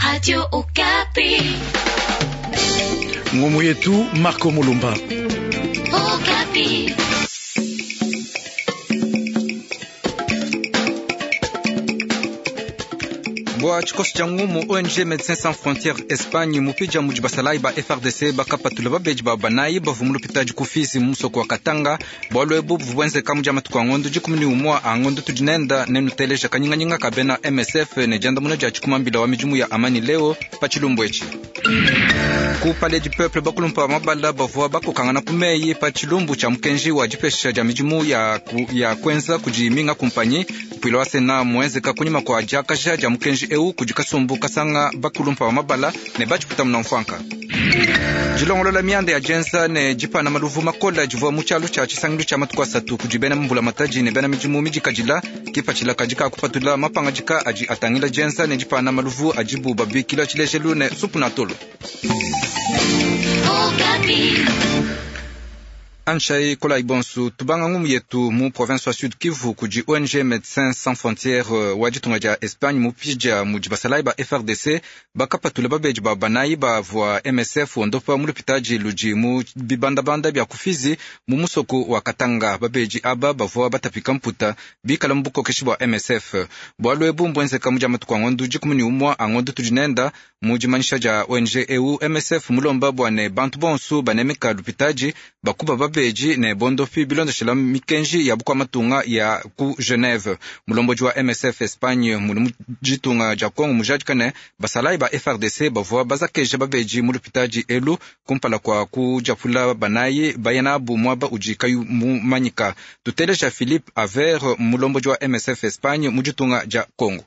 Radio Okapi. Ngumu yetu Marco Mulumba. Okapi. Bwa tshikoso tshia ngumu ONG Médecins Sans Frontières Espagne mupidja mudi basalayi ba FARDC bakapatula babedi ba banayi bavua mu lupitadi ku Fizi mu musoko wa Katanga. Bualu ebu buvua buenzeka mu dia matuku a ngondo 11 a ngondo tudi nenda nenuteleja kanyinganyinga ka bena MSF ne diandamuna dia tshikumambila wa midimu ya amani leo pa tshilumbu etshi. Ku Palais du Peuple bakulumpa ba mabala bavua bakokangana ku meyi pa tshilumbu tshia mukenji wa dipesha dia midimu ya, ku, ya kuenza kudi minga kumpanyi. Mpuila wa Sena muenzeka kunyima kua diakaja dia mukenji eu kudi kasumbu kasanga bakulumpa ba mabala ne batshiputa muna mfuanka. Dilongolola mianda ya dienza ne dipana maluvu makola divua mu tshialu tshia tshisangilu tshia matuku asatu kudi bena mbulamatadi ne bena midimu midikadila kipatshila kadi ka kupatula mapangadika adi atangila dienza ne dipana maluvu adibu babikila tshilejelu ne supu na tolo. Okapi. Anshai Kolai Bonsu tubanga ngumu yetu mu province wa Sud Kivu kudi ONG Médecins Sans Frontières wa ditunga dia Espagne mupidja mudi basalayi ba FARDC bakapatula babedi ba banayi bavua MSF ondopa mu lupitadi ludi mu bibandabanda bia ku Fizi mu musoko wa Katanga. Babedi aba bavua batapika mputa bikala mu bukokeshi bua MSF. Bualu ebu mbuenzeka mu dia matuku a ngondo 11 a ngondo tudi nenda. Mu dimanyisha dia ONG eu MSF mulomba bua ne bantu bonsu banemeka lupitadi bakuba babedi ne bondopi bilondeshela mikenji ya bukua matunga ya ku Geneve. Mulombodi wa MSF Espagne muli mu ditunga dia Congo mujadika ne basalayi ba FARDC bavua bazakeja babedi mu lupitadi elu kumpala kua kudiapula banayi baya nabu muaba udi kayi mumanyika. Tuteleja Philippe Aver, mulombodi wa MSF Espagne mu ditunga dia Congo.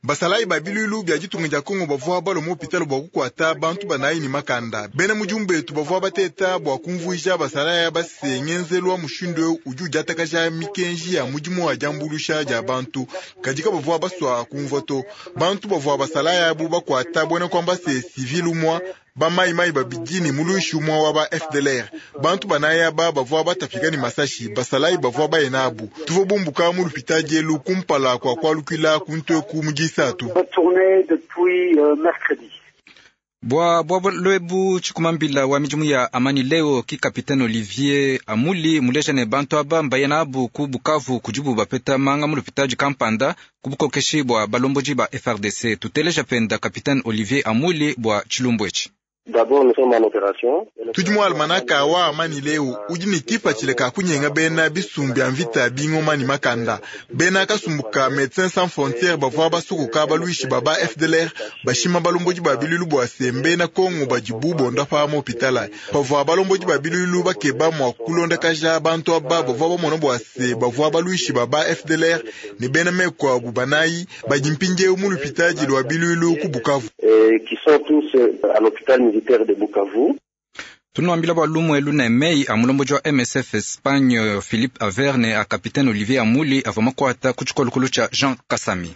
Basalayi ba bilulu bia ditunga dia Kongo bavua balua mu hopitalo bua kukuata bantu banayi ne makanda. Bena mudimu betu bavua bateta bua kumvuija basalayi base ngenzelu wa mushindu eu udi udiatakaja mikenji ya mudimu wa diambuluisha dia bantu, kadi kabavua basua kumvua to. Bantu bavua basalayi abu bakuata buena kuamba se civil umua bamayimayi babidi ne muluishi umua wa ba FDLR. Bantu banayi aba bavua batapika ne masashi, basalayi bavua baye nabu. Tuvua bumbuka mu lupitadi elu kumpala kua kualukila kuntu eku mu disatu. Bua bualu ebu tshikumambila wa midimu ya amani leo ki Capitaine Olivier Amuli muleja ne bantu aba mbaya nabu ku Bukavu kudibu bapeta manga mu lupitadi kampanda ku bukokeshi bua balombodi ba FARDC. Tuteleja penda Capitaine Olivier Amuli bua tshilumbu etshi. Tudi mu almanaka wa amani leo udi ne kipatshila ka kunyenga bena bisumbu bia mvita bingoma ne makanda. Bena kasumbu ka Médecins Sans Frontières bavua basukuka baluishi ba ba FDLR bashima balombodi ba bilulu bua se mbena Kongo badibu bondapa mu hopitala. Pavua balombodi ba bilulu bakeba mua kulondakaja bantu aba bavua bamona bua se bavua baluishi ba ba FDLR ne bena meku abu banayi badi mpindieu mu lupitadi lua bilulu ku Bukavu. Qui sont tous à l'hôpital militaire de Bukavu. Tunuambila bua lumu elu ne meyi a mulombodi wa MSF Espagne Philippe Averne a Capitaine Olivier Amuli avua makuata ku tshikolokolo tshia Jean Kasami.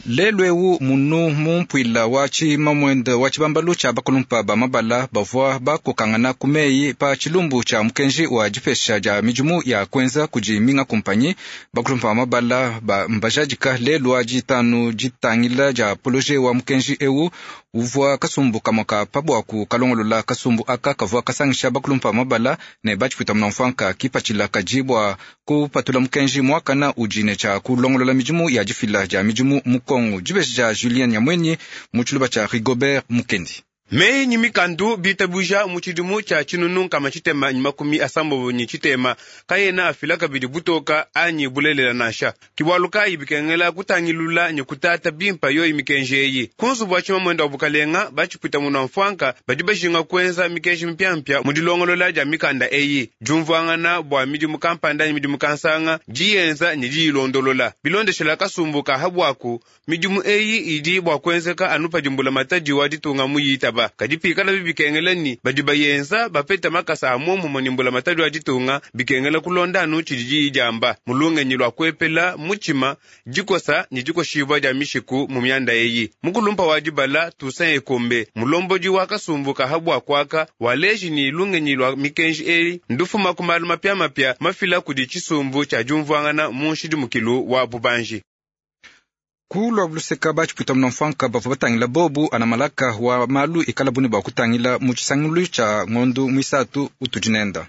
Lelu eu munu mu mpuila wa tshimamwende wa tshibambalu tshia bakulumpa ba mabala bavua bakokangana ku meyi pa tshilumbu tshia mukenji wa dipesha dia midimu ya kuenza kudi minga kumpanyi. Bakulumpa ba mabala ba mbajadika lelu wa ditanu ditangila dia poloje wa mukenji eu uvua kasumbu kamue ka pabuaku kalongolola. Kasumbu aka kavua kasangisha bakulumpa ba mabala ne batshipuita munamfuanka kipatshila kadi bua kupatula mukenji muakana udi ne tshia kulongolola midimu ya difila dia midimu mu Kongo. Dibeji dia Julien Nyamwenyi mu tshiluba tshia Rigobert Mukendi. Meyi ni mikandu bitabuja mu tshidimu tshia tshinunu nkama tshitema ni makumi asambobo ni tshitema kayena afila kabidi butoka anyi bulelela nansha. Kibualu kayi bikengela kutangilula ni kutata bimpa yoyi mikenji eyi. Ku nzubu wa tshimamwenda wa bukalenga batshipwita munu mfuanka badi bajinga kuenza mikenji mipiamipia mu dilongolola dia mikanda eyi. Diumvuangana bua midimu kampanda ni midimu kansanga diyenza ni diyilondolola. Bilondeshela kasumbu ka habwaku midimu eyi idi bua kuenzeka anu padi mbulamatadi wa ditunga muyitaba. Kadi pikala bibikengela ni badi bayenza bapeta makasa a momumue ni mbulamatadi wa ditunga bikengela kulonda anu tshidi diyi diamba mu lungenyi lua kuepela mutshima dikosa ni dikoshibua dia mishiku mu mianda eyi. Mukulumpa wa dibala Toussaint Ekombe mulombodi wa kasumbu ka habwa kuaka waleji ni lungenyi lua mikenji eyi ndufuma ku malu mapiamapia mafila kudi tshisumbu tshia diumvuangana mu nshidimukilu wa bubanji. Ku lua luseka batshipuita munamfuanka bavua batangila bobu anamalaka wa malu ikala bune bua kutangila mu tshisangilu tshia ngondu muisatu utudi nenda.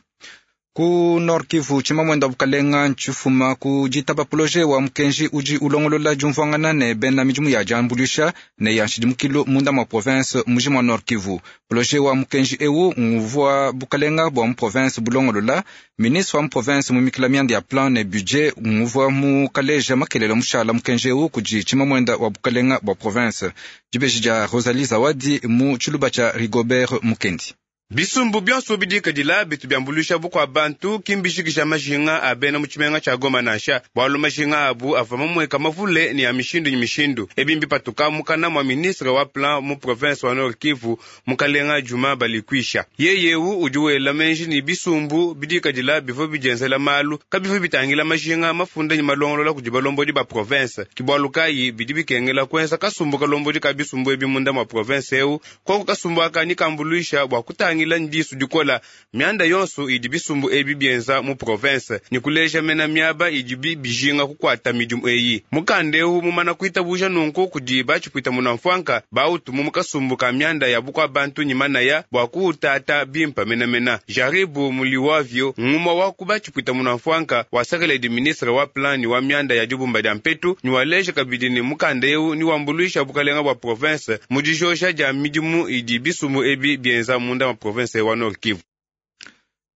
Ku Nord Kivu tshimamwenda bukalenga ntshifuma ku ditaba projet wa mukenji udi ulongolola diumvuangana ne bena midimu ya diambuluisha ne ya nshidimukilu munda mwa province mujima wa Nord Kivu. Projet wa mukenji ewu nguvua bukalenga bua mu province bulongolola. Ministre wa mu province mumikila mianda ya plan ne budget nguvua mu kaleja makelela mushala mukenji ewu kudi tshimamwenda wa bukalenga bua province. Dibeji dia Rosalie Zawadi mu tshiluba tshia Rigobert Mukendi. Bisumbu byonso bidikadila bitu byambuluisha bukua bantu kimbishikisha majinga a bena mu tshimenga tshia Goma nansha bwalu majinga abu ava mamweka mavule ni ya mishindu ni mishindu. Ebi mbipatuka mukana mwa ministre wa plan mu province wa Nord Kivu mukalenga Juma Balikwisha. Yeyewu udi wela menji ni bisumbu bidikadila bivua bidienzela malu kabivua bitangila majinga mafunda ni malongolola kudi balombodi ba province. Kibwalu kayi bidi bikengela kuenza kasumbu kalombodi ka bisumbu ebi munda mwa province ewu koko kasumbu aka ni kambuluisha bua kutangila ndisu dikola mianda yonso idi bisumbu ebi bienza mu province ni kuleja mena miaba idi bijinga kukwata midimu eyi. Mukanda ewu mumana kuitabuja nunku kudi batshipuita munamfuanka bautumu mukasumbu ka mianda ya bukua bantu ni manaya bua kuutata bimpa menamena. Jaribu muliwavyo nguma wa ku batshipuita munamfuanka wasakeledi ministre wa plan ni wa mianda ya dibumba dia mpetu ni waleja kabidi ni mukanda ewu ni wambuluisha bukalenga bua province mu dijosha dia midimu idi bisumbu ebi bienza munda wa province wa Nord Kivu.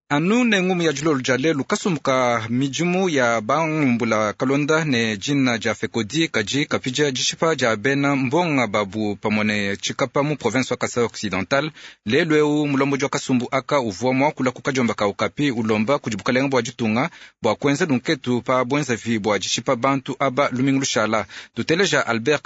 Anu ne ngumu ya dilolo dia lelu kasumbu ka midimu ya bangumbula kalonda ne dina dia FECODI kadi kapidia dishipa dia bena mbonga babu pamue ne tshikapa mu province wa Kasai Occidental. Lelu ewu mulombodi wa kasumbu aka uvua muakula ku kadiomba ka Okapi ulomba kudi bukalenga bua ditunga bua kuenza lunketu pa buenzavi bua dishipa bantu aba lumingu lushala. Tuteleja Albert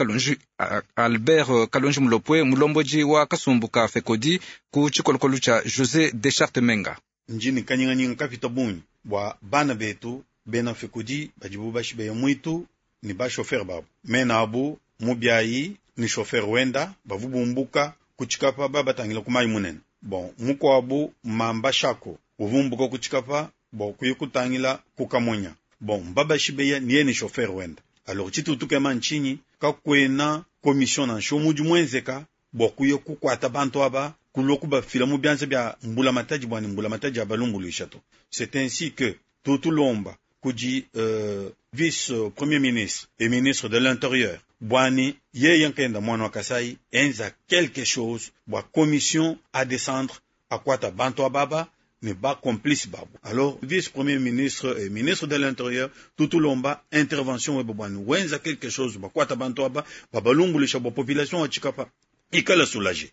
Kalonji Mulopwe mulombodi wa kasumbu ka FECODI ku tshikolokolo tshia José Deschartes Menga. Njini kanyinganyinga kapita bungi bua bana betu bena FECODI badibu bashibeya mwitu ni bashofer babu mena abu mubiayi ni shofer wenda bavu bumbuka kuchikapa babatangila kumayi munene bon mukwabu mamba shako uvumbuka kuchikapa bo kuyi kutangila kukamonya bon mbabashibeya niye ni shofer wenda. Alors chitutukema nchinyi kakwena commission na nshomu mwenzeka bo kuye kukwata bantu aba kuloku bafila mu byanza bya mbula mataji bwani mbula mataji ya balumbuluisha to. C'est ainsi que tutulomba kudi vice premier ministre et ministre de l'intérieur bwani yeye nkenda mwana wa Kasai enza quelque chose bwa commission à descendre akwata bantu ababa ne ba complice babu. Alors vice premier ministre et ministre de l'intérieur tutulomba intervention webo bwani wenza quelque chose bwa kwata bantu aba babalumbulisha bwa population wa Tshikapa ikala soulager.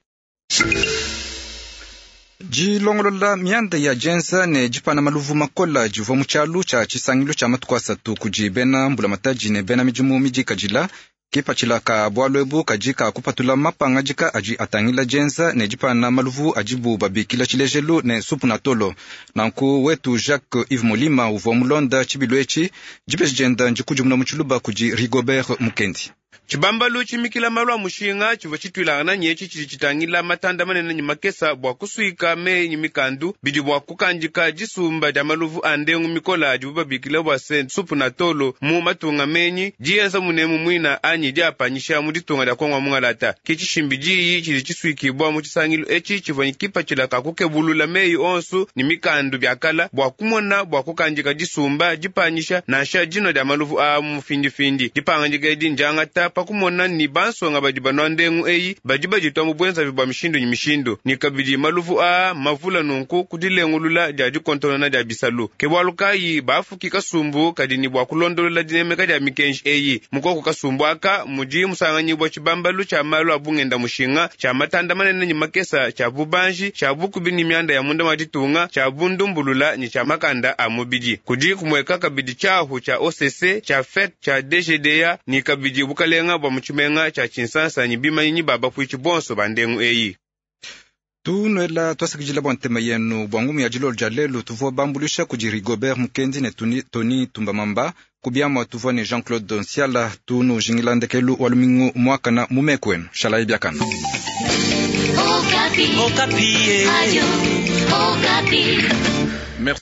Dilongolola mianda ya dienza ne dipana maluvu makola divua mu tshialu tshia tshisangilu tshia matuku asatu kudi bena mbulamatadi ne bena midimu midikadila. Kipatshila ka bualu ebu kadi ka kupatula mapangadika adi atangila dienza ne dipana maluvu adibu babikila tshilejelu ne supu na tolo. Nanku wetu Jacques Yves Molima uvua mulonda tshibilu etshi dibeji dienda ndikudimuna mu tshiluba kudi Rigobert Mukendi. Tshibambalu tshimikila malu a mushinga tshivua tshituilangana nyetshi tshidi tshitangila matanda manene ne makesa bua kusuika meyi ne mikandu bidi bua kukandika disumba dia maluvu a ndengu mikola adibu babikila bua se supu na tolo mu matunga menyi dienza munemu mwina anyi diapanyisha mu ditunga dia Kongo mungalata. Ke tshishimbi diyi tshidi tshisuikibwa mu tshisangilu etshi tshivua kipatshila ka kukebulula meyi onsu ne mikandu biakala bua kumona bua kukandika disumba dipanyisha nansha dino dia maluvu a mu findifindi. Dipangandika edi ndiangata pakumona ni bansonga badi banwa ndengu eyi badi baditwa mu bwenzavi bwa mishindu ni mishindu ni kabidi maluvu a mavula nunku kudilengulula dia dikontonona dia bisalu. Ke bwalu kayi bafuki kasumbu kadi ni bwa kulondolola dinemeka dia mikenji eyi. Mukoko kasumbu aka mudi musanganyibwa tshibambalu tshia malu a bungenda mushinga tshia matanda manene ni makesa tshia bubanji tshia bukubi ni mianda ya munda wa ditunga tshia bundumbulula ni tshia makanda a mubidi. Kudi kumweka kabidi tshiahu tshia OCC tshia FEC tshia DGDA ni kabidi bukalenga bwa mutshimenga tshia Tshinsansa ni bimanyi baba kuichi bonso bandengu eyi. Tunwela twasakidila bua ntema yenu bua ngumu ya dilolo dia lelu tuvua bambulisha kudi Rigobert Mukendi ne Tony Tumbamamba kubiamua tuvua ne Jean-Claude Nsiala tunujingila ndekelu wa lumingu mwakana mumeku wenu shalayi biakana. Okapi. Okapi. Radio Okapi. Merci.